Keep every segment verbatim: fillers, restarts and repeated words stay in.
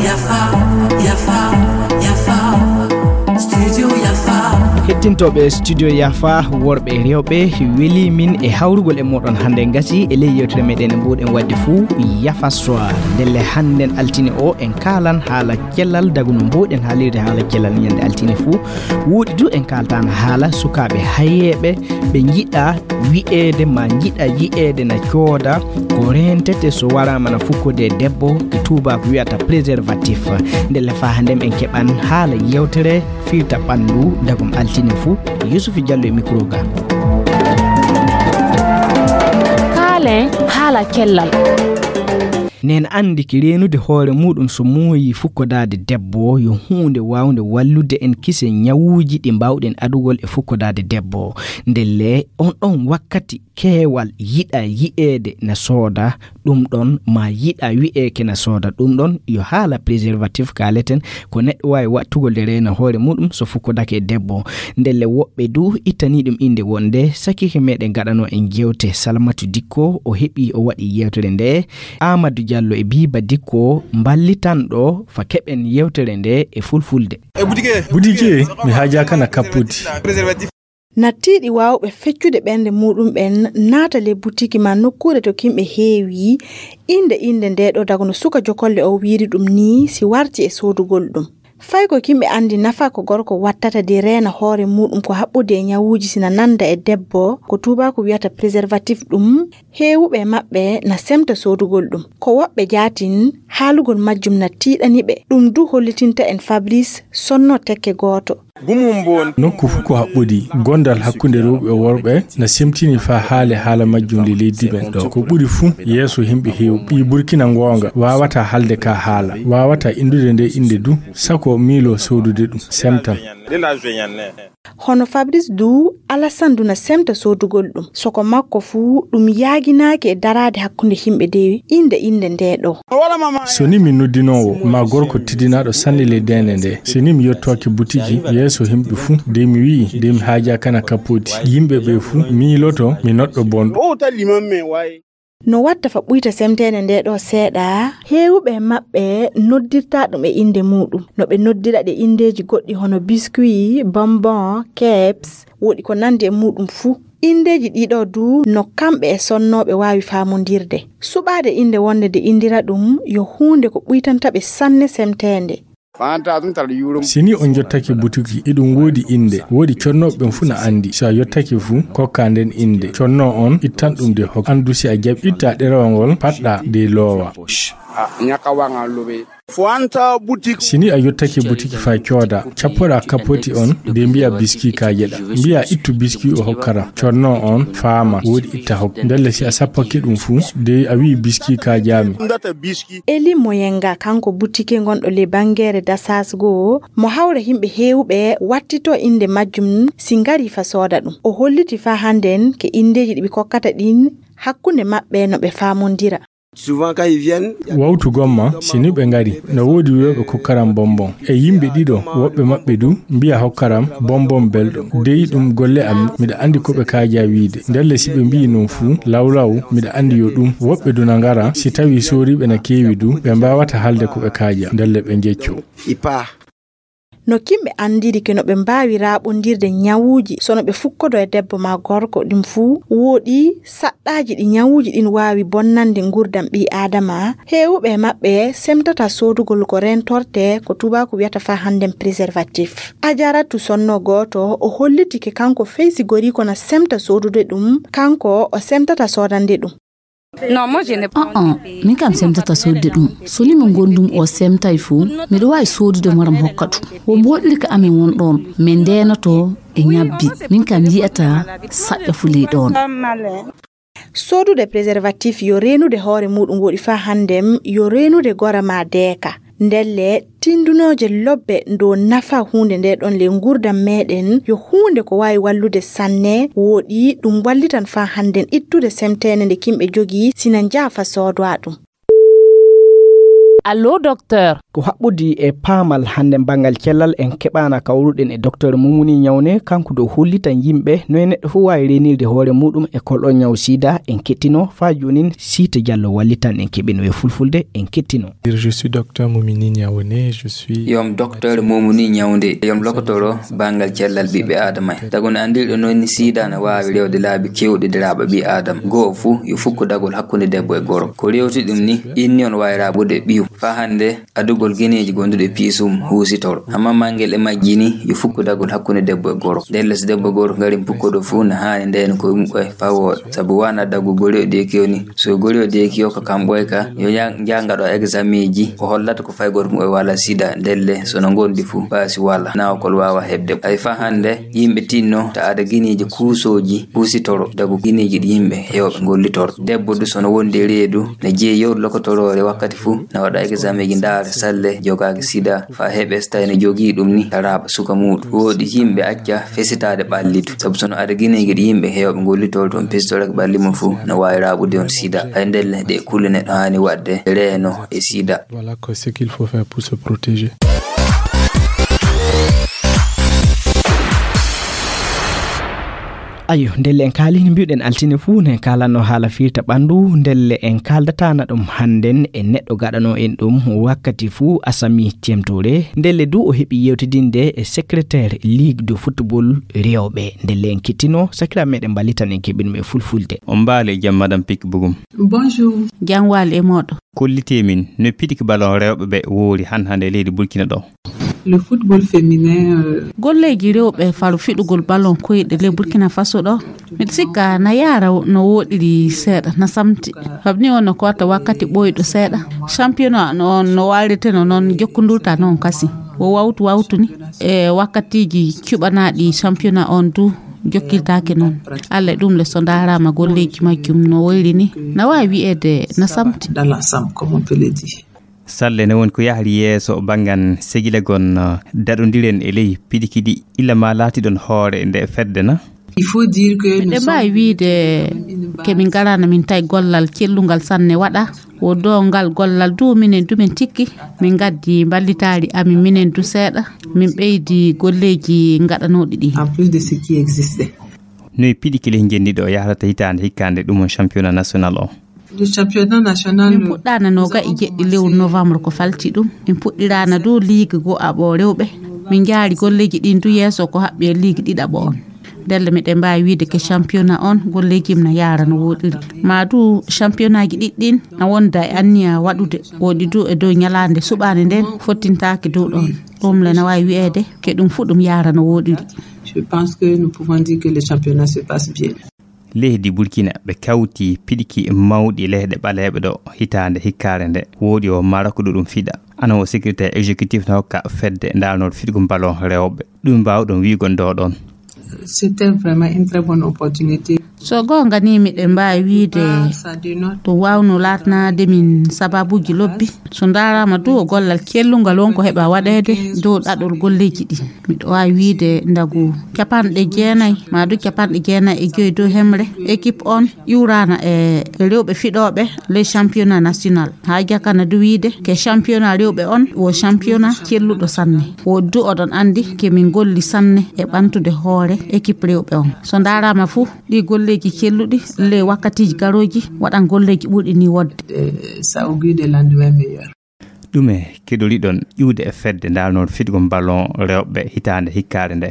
Yafa, yafa, yafa. Studio Yafa. Hettintooɓe Studio Yafa, worɓe e rewɓe, weli min e hawrugol e moɗon hannde. Gasi e ley yewtere meɗen e mbuɗen wadde fuu Yafa Soir. Ndelle hannden altine o en kaalan haala cellal, daguno mbuɗen haalirde haala cellal ñande altine fuu. Wuuɗi du en kaaltaan haala sukaaɓe hayeeɓe ɓe njiɗa wi'eede ma njiɗa yi'eede na cooda ko reentete so waraama na fukkode e debbo, ko tuubaaku wiyata préservatif. Ndelle faa hannden en keɓan haala yewtere firta ɓanndu dagum altine fuu. Yusufi Jallo e micro ga. Kaalen haala cellal. Neen anndi ki reenude hoore muuɗum so muuyi fukkodaade debbo yo huunde waawnde wallude en kise ñawuuji ɗi mbaawɗen adugol e fukkodaade debbo. Ndelle on ɗon wakkati keewal yiɗa yi'eede na sooda ɗum ɗon, ma yiɗa wi'eeke na sooda ɗum ɗon, yo haala préservatif kaaleten, ko neɗɗo waawi waɗtugol de reena hoore muuɗum so fukkodake e debbo. Ndelle woɓɓe du ittanii ɗum innde wonde sakike meɗen gaɗano en jewte Salamatu Dikko, o heɓi o waɗi yewtere nde. Amadou Diallo e Biba Dikko mballitanɗo fa keɓen yewtere nde e fulfulde. Butike, mi haajaaka na kappudi. Nattiiɗi waawɓe feccude ɓernde muuɗum ɓen naata le butiki ma nokkuure to kimɓe heewi, innde innde nde ɗo dago no suka jokolle o wiiri ɗum nii si warti e soodugol ɗum. Fay ko kimɓe anndi nafa ko gorko wattata de reena hoore muuɗum ko haɓɓude e ñawuuji sina nanda e debbo, ko tuubaaku wiyata préservatif ɗum, heewuɓe e maɓɓe na semta soodugol ɗum. Ko woɓɓe jaatin, haalugol majjum na tiiɗani ɓe. Ɗum du hollitinta en Fabrice sonno tekke gooto. Nokku fuu ko haɓɓodi, gondal hakkunde rewɓe e worɓe na semtini faa haale haala majjum le leydi men ɗo. Ko ɓuri fuu yeeso himɓe heewɓe. Ɓii Burkina goonga waawataa haalde ka haala, waawataa inndude nde innde du, sako miiloo soodude ɗum, semtan. Hono Fabrice du, Alassane du na semta soodugol ɗum. Soko makko fuu, ɗum yaaginaaki e daraade hakkunde yimɓe de innde innde nde ɗo. So ni mi noddinoowo, ma gorko teddinaaɗo sanne le deende nde, so ni mi yottoaki butiki yeeso yimɓe fuu, de mi wi'i, de mi haajaaka na kappoti. Yimɓe ɓe fuu miiloto mi noɗɗo bonɗo. No watta fa ɓuyta semteende nde ɗo seeɗa, heewuɓe e maɓɓe noddirta ɗum e innde muuɗum. No ɓe noddira ɗe inndeeji goɗɗi hono biscuit, bonbon, keps, woɗi ko nanndi e muuɗum fuu. Inndeeji ɗiɗo du no kamɓe e sonnooɓe waawi faamondirde. Suɓaade innde wonde de inndira ɗum yo huunde ko ɓuytanta ɓe sanne semteende. Si ni on jottake butuki, iɗum woodi innde. Woodi connooɓe ɓen fuu na anndi. Si a yottake fuu, kokkaa nden innde. Connoo on ittan ɗum de hokka. Anndu si a jaɓi, ittaa ɗerewol ngol, paɗɗaa de loowa. Si ni a yottake butuki faa coodaa, cappoɗaa kapoti on de mbi'a biskii kaajeɗaa. Mbi'a ittu biskii o hokkaram. Connoo on faama, woodi itta hokka. Ndelle si a sappake ɗum fuu, de a wi'i biskii kaajaami. Eli Moyenga, kanko butike gonɗo le bangeere Dasas goo, mo hawra yimɓe heewuɓe wattito innde majjum si ngari fa sooda ɗum. O holliti fa hannden ke inndeeji ɗi ɓe kokkata ɗin hakkunde maɓɓe no ɓe faamondira. Wawtu gomma, si ni ɓe ngari, no woodi wi'ooɓe kokkaram bonbon. E yimɓe ɗiɗo, woɓɓe maɓɓe du mbi'a hokkaram bonbon belɗo. Dey ɗum golle am, miɗa anndi ko ɓe kaajaa wi'ude. Ndelle si ɓe mbi'i non fuu, lawlaw, miɗa anndi yo ɗum. Woɓɓe du na ngara, si tawii sooriiɓe na keewi du, ɓe mbaawata haalde ko ɓe kaajaa. Ndelle ɓe njeccoo. No kimɓe anndiri ke no ɓe mbaawi raaɓondirde ñawuuji, so no ɓe fukkodo e debbo maa gorko, ɗum fuu wooɗi saɗɗaaji ɗi ñawuuji ɗin waawi bonnande ngurdam ɓii Aadama. Heewuɓe e maɓɓe semtata soodugol ko reentorte, ko tuubaaku wiyata faa hannden préservatif. Ajaratu Sonno gooto, o holliti ke kanko fey si goriiko na semta soodude ɗum, kanko o semtata soodande ɗum. Aa, min kam semtata sodde ɗum. So ni mo ngondum o semtay fuu, miɗo waawi sodude mo ram hokka ɗum. Wo mboɗiri ka amin won ɗon, min ndeenotoo e ñabbi. Min kam yi'ataa saɗɗa fulii ɗon. Sodude préservatif yo reenude hoore muuɗum woɗi faa hannden yo reenude gora maa deeka. Ndelle, tindunooje lobbe dow nafa huunde nde ɗon ley ngurdam meeɗen yo huunde ko waawi wallude sanne, wooɗi ɗum wallitan faa hannden ittude semteende nde kimɓe jogii sina njaafa soodoa ɗum. Allo, docteur. Ko haɓɓudi e paamal hannde banngal cellal en keɓaana kawruɗen e Docteur Mumuni Ñawne, kanko ɗo hollitan yimɓe no e neɗɗo fof waawi reenirde hoore muɗum e kol o ñaw sida. En kettino faa joonin Siita Jallo wallitan en keɓino e fulfulde. En kettino. Je suis docteur Moumini Niaouné, je suis Yom Docteur Mumuni Ñawde, yom lokotoro banngal cellal ɓiɓɓe Aadama en. Tagu no anndirɗo noon ni sida no waawi rewde laabi keewɗi daraaɓe ɓii Aadama. Goo fuu yo fukko dagol hakkunde debbo e goro. Ko rewti ɗum ni, inni on waawi raaɓude ɓiyum. Faa hannde adugol gineeji gonduɗi e piisum huusitoro. Amma manngel e majji ni yo fukkudagol hakkunde debbo e goro. Ndelle so debbo e goro ngari pukkoɗo fuu na haani ndeyna koye muɓɓe faa wooɗa. Sabu waana dagu gori o deeki o ni. So gori o deeki o ko kam ɓooyka, yo ya-, njaha ngaɗo exameeji, o hollata ko fay gooto muɓɓe wala sida. Ndelle so no ngondi fuu, baasi wala, nawkol waawa heɓde. Hay faa hannde, yimɓe tinno ta ada gineeji kuusooji huusitoro, dagu gineeji ɗi yimɓe heewɓe ngollitoro. Debbo du so no wondi e reedu, ne jeyi yewde lokotoroore wakkati fuu, na waɗa exameeji ndaara salle jogaaki sida, faa heɓe so tawi no jogii ɗum ni, raaɓa suka muuɗum. Wooɗi yimɓe acca fesitaade ɓalli du. Sabu so no ada gineeji ɗi yimɓe heewɓe ngollitoro toon, pistorake ɓalli mum fuu, no waawi raaɓude on sida. Hay ndelle ɗe kulle neɗɗo haani waɗde reeno e sida. Voilà quoi, ce qu'il faut faire pour se protéger. Ayo, ndelle en kaali, no mbiwɗen altine fuu, ne kaalanno haala firta ɓanndu, ndelle en kaaldataana ɗum hannden e neɗɗo gaɗano en ɗum wakkati fuu, Asami Tiem Touré. Ndelle du o heɓi yewtidinde e secrétaire Ligue de football rewɓe. Ndelle en kettino, sakiraaɓe meɗen mballitan en keɓi ɗum e fulfulde. On mbaali e jam, Madame Pic Bougoum. Bonjour. Jam waali e mooɗo. Kollitee min no pidiki ballon rewɓe ɓe woori han hannde e leydi Burkina ɗo. Le football féminin, euh, Golleeji rewɓe faro fiɗugol ballon koyɗe ley Burkina Faso ɗo, miɗo sikka na yaara no wooɗiri seeɗa, na samti. Sabu ni on no ko watta wakkati ɓooyɗo seeɗa. Championnat no, no waalirteno noon, jokkondurta noon kasi. Wo wawtu wawtu ni. E wakkatiiji cuɓanaaɗi championnat on du jokkirtaake noon. Alla e ɗum le so ndaaraama golleeji majjum no woyri ni, na waawi wiyeede na samti. Dans l'ensemble, comme on peut le dire. Salle ne woni ko yahri yeeso banngan segilagon, uh, daɗondiren e ley piɗi kiɗi illa ma laatiɗon hoore nde fedde na? Il faut dire que nous Miɗen mbaawi sommes wiide ke min ngaraana min tawi gollal cellungal sanne waɗa. Wo do ngal gollal du minen du min cikki. Min ngaddi mballitaari amin minen du seeɗa. Min ɓeydi golleeji ngaɗanooɗi ɗi. En plus de ce qui existait. Noy piɗi kile njenndi ɗo yahrata hitaande hikkaande ɗum on championnat national o? Le championnat national. Min puɗɗaana noga e jeɗɗi lewru novembre ko falti ɗum. Min puɗɗiraana du ligue go aɓo rewɓe. Min njaari golleeji ɗin du yeeso ko haɓɓi e ligue ɗiɗaɓo on. Ndelle miɗen mbaawi wiide ke championnat on golleeji mum na yaara no wooɗiri. Ma du championnat ji ɗiɗi ɗin na wonda e anniya waɗude. Woɗi du e dow ñalaande suɓaande nden fottintaake dow ɗon. Ɗum le na waawi wi'eede ke ɗum fu ɗum yaara no wooɗiri. Je pense que nous pouvons dire que le championnat se passe bien. Leydi Burkina ɓe kawti piɗiki mawɗi leyɗe ɓaleeɓe ɗo hitaande hikkaare nde. Woodi o Maroc ɗo ɗum fiɗa. Ana o secrétaire exécutif na hokka fedde ndarnooɗo fiɗgol ballon rewɓe. Ɗum mbaawɗon wi'ugon ɗo ɗon. C'était vraiment une très bonne opportunité. So goonga ni miɗen mbaawi wiide ɗum waawno laatanaade min sababuuji lobbi. So ndaaraama du o gollal cellungal won ko heɓa waɗeede dow ɗaɗol golleeji ɗi. Miɗo waawi wiide ndagu capanɗe jeenayi, ma du capanɗe jeenayi e joyi dow hemre. Équipe on iwraana e rewɓe fiɗooɓe les championnat national. Haa jakana du wiide ke championnat rewɓe on wo championnat celluɗo sanne. Wo du oɗon anndi ke min golli sanne e ɓantude hoore équipe rewɓe on. So ndaaraama fuu, ɗi golleeji celluɗi, le wakkatiiji garooji, waɗan golleeji ɓurɗi ni wodde. Ça augure des lendemains meilleurs. Ɗume keɗoriɗon ƴuwde e fedde ndarnooɗo fiɗgol ballon rewɓe hitaande hikkaare nde?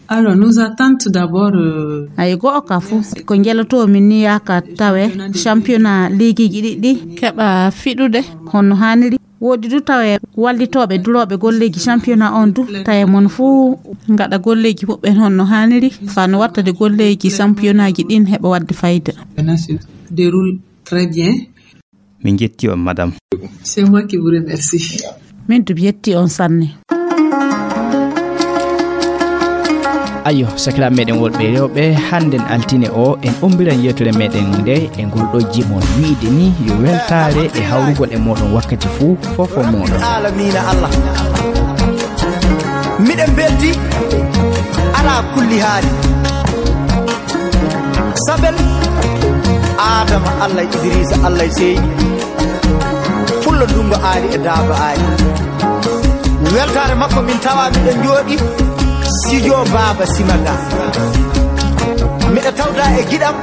Alors, nos attentes d'abord, euh, Ay go'o ka fuu, ko njeloto min ni yaaka tawe championnat ligiiji ɗiɗi keɓa fiɗude honno haaniri. Woodi du tawe wallitooɓe durooɓe golleeji championnat on du, tawe mon fuu ngaɗa golleeji muɓɓen honno haaniri, faa no wattade golleeji championnat ji ɗin heɓa waɗde fayda. Championnat se déroule très bien. Min jetti on, madame. C'est moi qui vous remercie. Min du mi yetti on sanne. Ayo, sakiraaɓe meɗen wonɓe rewɓe, hannden altine o, en ombiran yewtere meɗen nde e ngol ɗo jimol. Wiide ni yo weltaare e hawrugol e moɗon wakkati fuu, fofo moɗon. Aalamiina Allah. Miɗen mbelti alaa kulli haali. Sabel Adama, Allah e Idrisa, Allah e Seydi. Pullo Dungo Aali e Daaba Aali. Weltaare makko min tawa miɗo jooɗi studio Baaba Simaga. Miɗo tawda e giɗam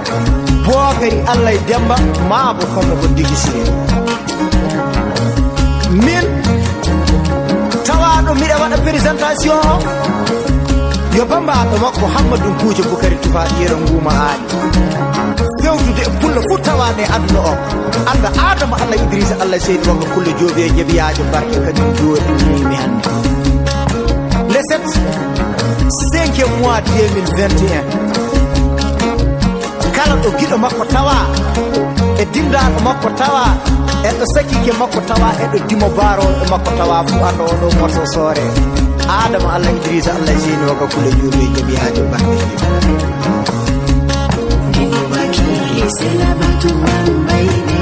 Bookari Allah e Demba maabo komo ko digi sire. Min tawaɗo miɗo waɗa présentation o, yo bambaɗo makko Hammadun Kuuje Bukari Tufa Yero Nguma Aali. Fewtude e pullo fof tawaani e aduna o. Anda Adama Allah Idrissa Allah Seydi Wagga Kulle Joobi e Jabiyaajo Barke kadi jooɗi mi hannde. Le sept, cinquième mois deux mille vingt et un. Kala ɗo giɗo makko tawa, e dimdaaɗo makko tawa, e ɗo sakiike makko tawa, e ɗo dimo baarooɓe makko tawa, fuu anda oɗo morso soore. Adama Allah Idrissa Allah Seydi Wagga Kulle Joobi e Jabiyaajo Barke. Dimo Bakiri Sela Batu Wambayde.